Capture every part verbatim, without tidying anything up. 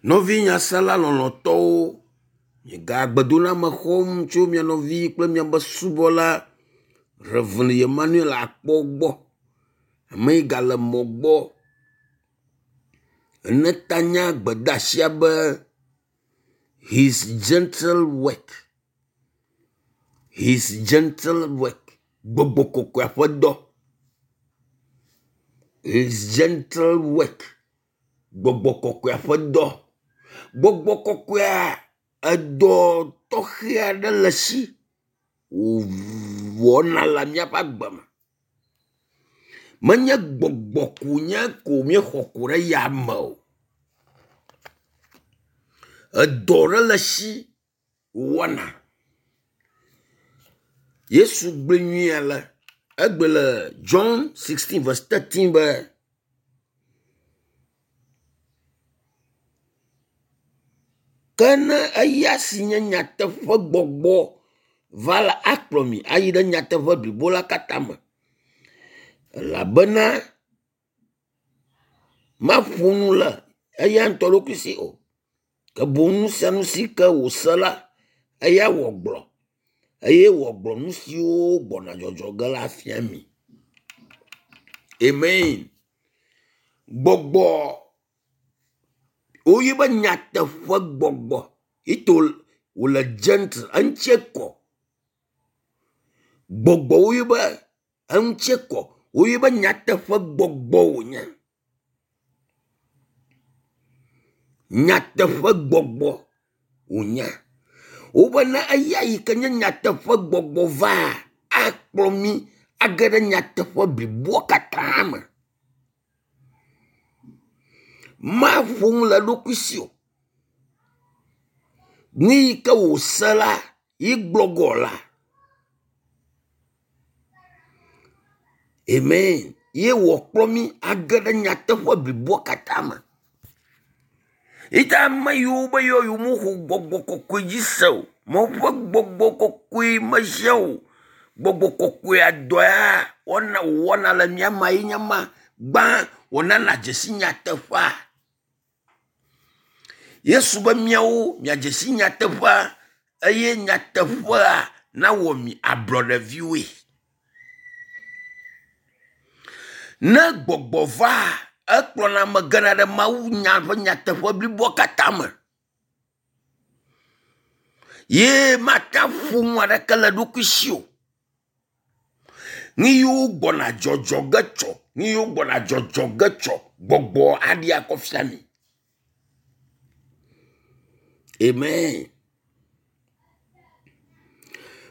Nɔvi nyasela lɔlɔ̃tɔwo, miega gbedoname xɔm tso mia nɔvi kple miaƒe subɔla Rev. Emmanuel Akpɔ gbɔ. Ame yi gale mɔ gbɔ ene tanya gbedeasia be his gentle work, his gentle work. Gbɔgbɔ kɔkɔea ƒe dɔ. His gentle work. Gbɔgbɔ kɔkɔea ƒe dɔ. Gbɔgbɔ kɔkɔea edɔ tɔxɛ aɖe le esi wòwɔna le míaƒe agbe me. Menye gbɔgbɔ ko wònye ko míexɔ ko ɖe yame o. Edɔ ɖe le esi wòwɔna. Yesu gblɔe nyuie ale, egblɔe le John sixteen verse thirteen be ke ne eya si nye nyateƒe gbɔgbɔ va la akplɔ mi ayi ɖe nyateƒe blibo la katã me elabena maƒo nu le eya ŋutɔ ɖokui si o ke boŋ nu sia nu si ke wòse la eya wòagblɔ eye wòagblɔ nu siwo gbɔna dzɔdzɔ ge la fia mi. Amen. Gbɔgbɔ woyɔe be nyateƒe gbɔgbɔ ito wòle gentle eŋutie kɔ. Gbɔgbɔ woyɔe be eŋutie kɔ. Woyɔe be nyateƒe gbɔgbɔ wònye. Nyateƒe gbɔgbɔ wònye. Wobe ne eya yi ke nye nyateƒe gbɔgbɔ vaa, akplɔ mí age ɖe nyateƒe bliboa katã me. Maƒo nu le eɖokui si o. Nu yi ke wòse la ye gblɔ ge wòala. Amen. Ye wòakplɔ mí age ɖe nyateƒe bliboa katã me. Yi ta ame yiwo be yewo yewomexɔ gbɔgbɔ kɔkɔe dzi se o, Mawu ƒe gbɔgbɔ kɔkɔe mehiã o. Gbɔgbɔ kɔkɔea dɔ ya wɔna wòwɔna le mía mea ye nye ma. Gbã wònana dzesi nyateƒea. Yesu be miawo miadze si nyateƒea eye nyateƒea nawɔ mi ablɔɖeviwoe. Ne gbɔgbɔ va, ekplɔna ame gena ɖe Mawu nya ƒe nyateƒe bliboa katã me. Ye mate ƒo nu aɖeke le eɖokui si o. Nu yiwo gbɔna dzɔdzɔ ge tsɔ, nu yiwo gbɔna dzɔdzɔ ge tsɔ, gbɔgbɔ aɖi akɔ fia mi. Amen.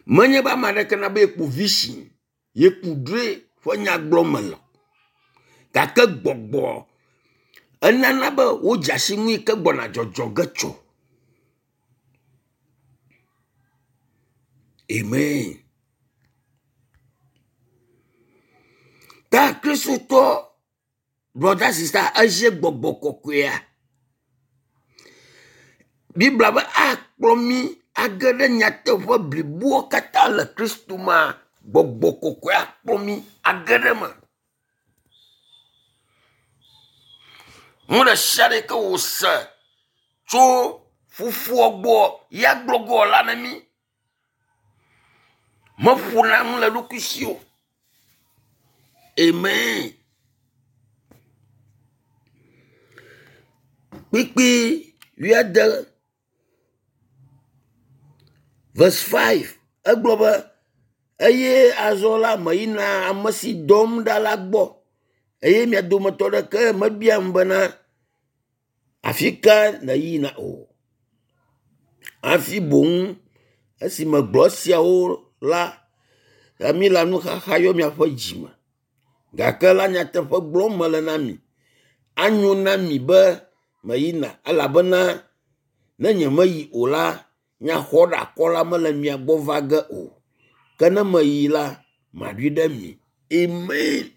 Menye be ame aɖeke nabe yeku vision, yeku drɔ̃e ƒe nya gblɔm mele o. Gake gbɔgbɔ enana be wodze asi nu yi ke gbɔna dzɔdzɔ ge tsɔ. Amen. Ta Kristotɔ brother sister ezie gbɔgbɔ kɔkɔea. Biblia be akplɔ mí age ɖe nyateƒe bliboa katã le Kristo mea, gbɔgbɔ kɔkɔe akplɔ mí age ɖe eme. Nu ɖe sia ɖe ke wòse tso fofoa gbɔ ya gblɔ ge wòala na mí. Meƒona nu le eɖokui si o. Amen. Kpukpui wuiade verse five egblɔ be eye azɔ la meyina ame si dɔm ɖa la gbɔ eye mia dometɔ ɖeke mebiam bena afi ka nèyina o. Hafi boŋ esi megblɔ esiawo la, mi le nuxaxa yɔ miaƒe dzime. Gake la nyateƒe gblɔm mele na mi. Anyo na mi be meyina elabena ne nyemeyi o la, nyaxɔɖeakɔla mele mia gbɔ va ge o. Ke ne meyi la, maɖoe ɖe mi. Amen.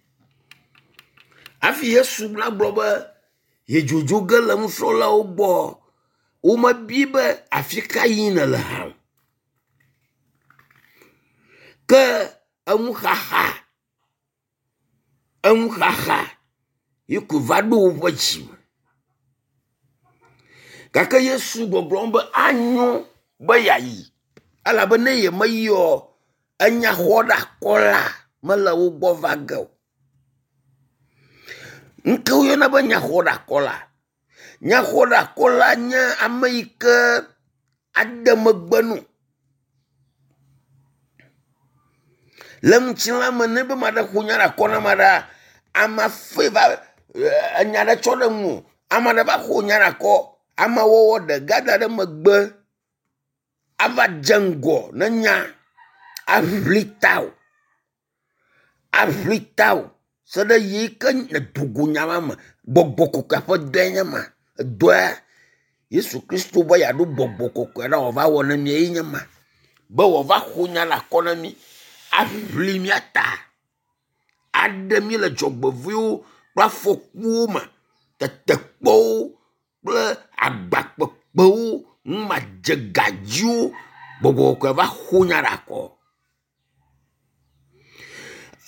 Hafi Yesu nagblɔ be yedzodzo ge le nusrɔ̃lawo gbɔ, womebia be afi ka yim nèle hã o. Ke enuxaxa, enuxaxa yi ko va ɖo woƒe dzime. Gake Yesu gbɔgblɔm be anyo be yeayi elabe ne yemeyi oa, enyaxɔɖeakɔla mele wo gbɔ va ge o. Nu ke woyɔna be nyaxɔɖeakɔla? Nyaxɔɖeakɔla nye ame yi ke ade megbe no. Le ŋutilã me ne be ame aɖe ƒo nya ɖe akɔ na ame aɖea, amea fe va enya ɖe tsɔ ɖe ŋuwò, ame aɖe va ƒo nya ɖe akɔ, amewɔwɔ ɖe gada ɖe megbe ava dze ŋgɔ ne nya aʋli tawò, aʋli tawò se ɖe yi ke nèdo go nya ma me. Gbɔgbɔ kɔkɔea ƒe dɔe nye ma. Edɔa Yesu Kristo be yeaɖo gbɔgbɔ kɔkɔe ɖa wòava wɔ na mí ye nye ma. Be wòava ƒo nya le akɔ na mí, aʋli mía ta, aɖe mí le dzɔgbevɔ̃ewo kple afɔkuwo me, tetekpɔwo kple agbakpekpewo, numadzegadziwo. Gbɔgbɔ kɔkɔe va ƒo nya ɖe akɔ.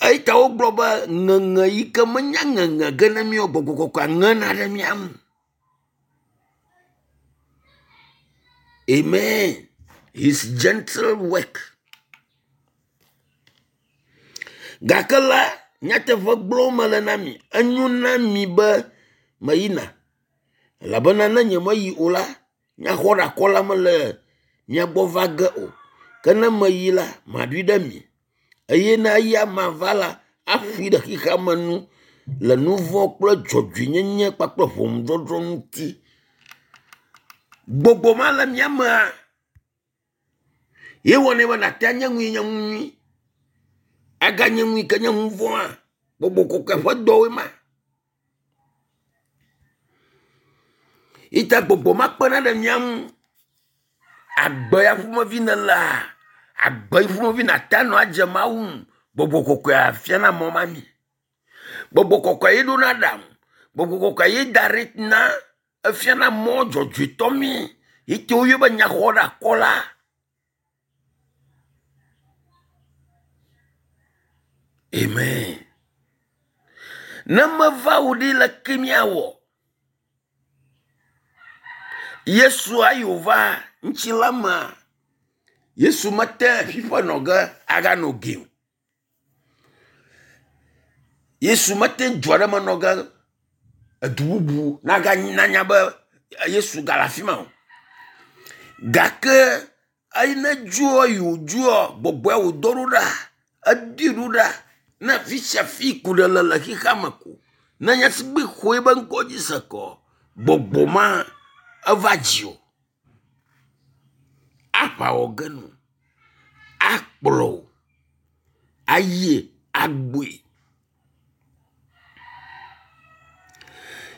Eyi ta wogblɔ be ŋeŋe yi ke menya ŋeŋe ge na mí o, gbɔgbɔ kɔkɔea ŋena ɖe mía ŋu. Amen. His gentle work. Gake la, nyateƒe gblɔm mele na mi, enyo na mi be meyina elabena ne nyemeyi o la, nyaxɔɖeakɔla mele mia gbɔ va ge o. Ke ne meyi la, maɖoe ɖe mi. Eye ne eya ma va la, aƒoe ɖe xexea me nu le nu vɔ̃ kple dzɔdzɔenyenye kpakple ʋɔnudɔdrɔ̃ ŋuti. Gbɔgbɔ ma le mía mea, ye wɔnɛ be nàte anye nu yi nye nu nyui, aganye nu yi ke nye nu vɔ̃a. Gbɔgbɔ kɔkɔe ƒe dɔwoe ma. Yi ta gbɔgbɔ ma kpena ɖe mía ŋu. Agbe ya ƒomevi nèlea, agbe yi ƒomevi nàte anɔ adze Mawu ŋu. Gbɔgbɔ kɔkɔea fiana mɔ ma mi. Gbɔgbɔ kɔkɔe ye ɖona aɖaŋu. Gbɔgbɔ kɔkɔe ye da ɖi na efiana mɔ dzɔdzɔetɔ mi. Yi ke woyɔ be nyaxɔɖeakɔla. Amen. Ne meva wo ɖi leke míawɔ? Yesu ayi wòva ŋutilã mea, Yesu mete ƒiƒe nɔ ge aganɔ ge o. Yesu mete du aɖe me nɔ ge edu bubu nanya be Yesu gale afi ma o. Gake eyi ne dzoa yi wòdzoa, gbɔgbɔa wòdɔ ɖo ɖa, edoe ɖo ɖa ne afi sia afi ku ɖe le le xexea me ko. Ne nye sigbe xɔ ebe ŋkɔ dzi se kɔ, gbɔgbɔ ma eva dziwò. Aʋa wɔ ge no, akplɔ wò, ayi agboe.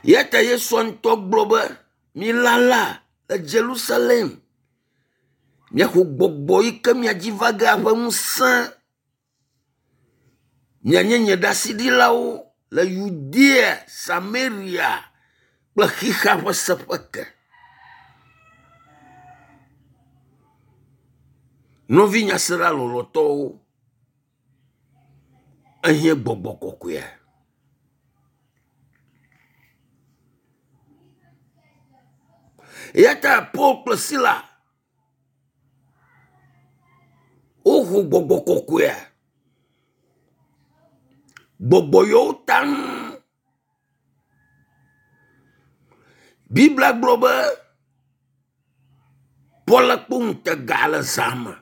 Ya ta Yesu ŋutɔ gblɔ be, milala le Jerusalem, miaxɔ gbɔgbɔ yi ke mia dzi va ge ƒe ŋusẽ. Mianye nye ɖaseɖilawo le Yudea, Samaria kple xexea ƒe seƒe ke. Nɔvi nyasela lɔlɔ̃tɔwo, ehiã gbɔgbɔ kɔkɔea. Eya ta Paul kple Sila woxɔ gbɔgbɔ kɔkɔea. Gbɔgbɔ yɔ wo taŋ. Biblia gblɔ be Paul kpɔ ŋutega le zã me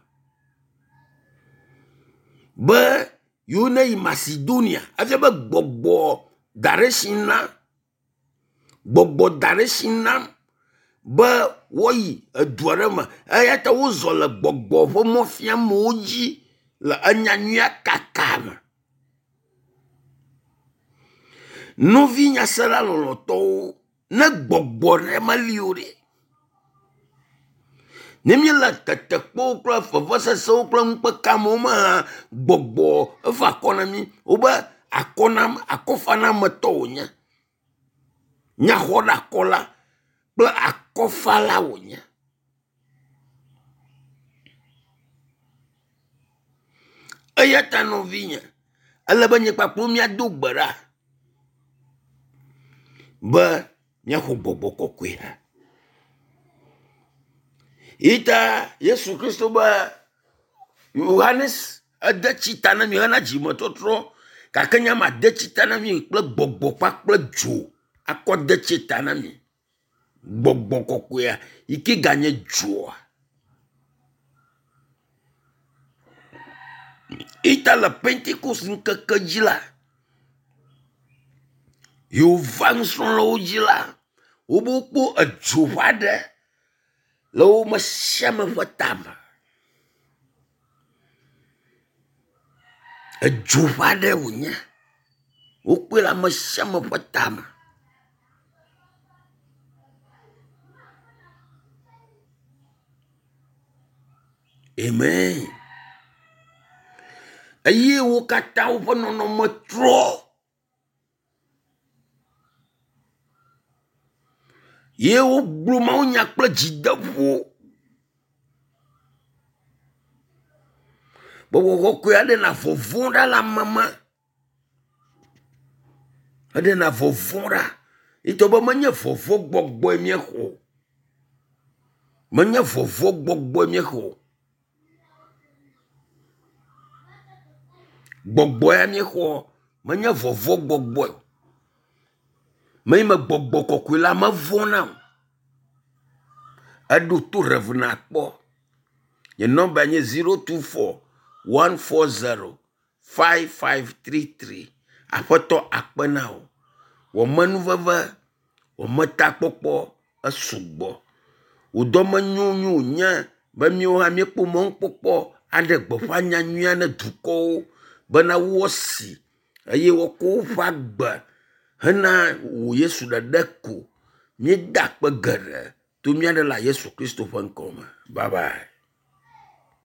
be yewo ne yi Macedonia. Efia be gbɔgbɔ da ɖe si na, gbɔgbɔ da ɖe si nam be woayi edu aɖe me. Eya ta wozɔ le gbɔgbɔ ƒe mɔfiamewo dzi le enyanyuia kaka me. Nɔvi nyasela lɔlɔ̃tɔwo, ne gbɔgbɔ ɖe meli o ɖe, ne míele tetekpɔwo kple vevesesewo kple nukpekamewo me hã, gbɔgbɔ eva akɔ na mí. Wobe akɔnam, akɔfanametɔ wònye. Nyaxɔɖeakɔla kple akɔfala wònye. Eya ta nɔvinye, ele be nye kpakple míado gbe ɖa be míaxɔ gbɔgbɔ kɔkɔea. Ita Yesu Kristo be Yohanes ede tsi ta na mi hena dzimetɔtrɔ gake nye ma de tsi ta na mi kple gbɔgbɔ kpakple dzo akɔ de tsi ta na mi. Gbɔgbɔ kɔkɔea yi ke ganye dzoa. Ita le Pentekost ŋkeke dzi la, yi wòva nusrɔ̃lawo dzi la, wobe wokpɔ edzo ƒe aɖe le wo me sia ame ƒe tame. Edzo ƒe aɖe wònye. Wokpɔe le ame sia ame ƒe tame. Amen. Eye wo katã woƒe nɔnɔme trɔ. Ye wogblɔ mawunya kple dzideƒo. Gbɔgbɔ kɔkɔea ɖena vɔvɔ̃ ɖa le ame me. Eɖena vɔvɔ̃ ɖa. Ŋutɔ be menye vɔvɔ̃ gbɔgbɔe míexɔ o. Menye vɔvɔ̃ gbɔgbɔe míexɔ o. Gbɔgbɔ ya míexɔ menye vɔvɔ̃ gbɔgbɔe o. Me yi me gbɔgbɔ kɔkɔe la mevɔ̃na o. Eɖo to Rev. Akpɔ. Nye nɔmba nye zero two four one four zero five five three three. Aƒetɔ akpe na wò. Wò amenuveve, wò ametakpɔkpɔ esugbɔ. Wò dɔmenyonyo wònye be míawo hã míekpɔ mɔnukpɔkpɔ aɖe gbeƒã nyanyuia ne dukɔwo bena woasi eye woakɔ woƒe agbe hena wò Yesu ɖeɖe ko. Míeda akpe geɖe to mía ɖela Yesu Kristo ƒe ŋkɔ me. Bye bye.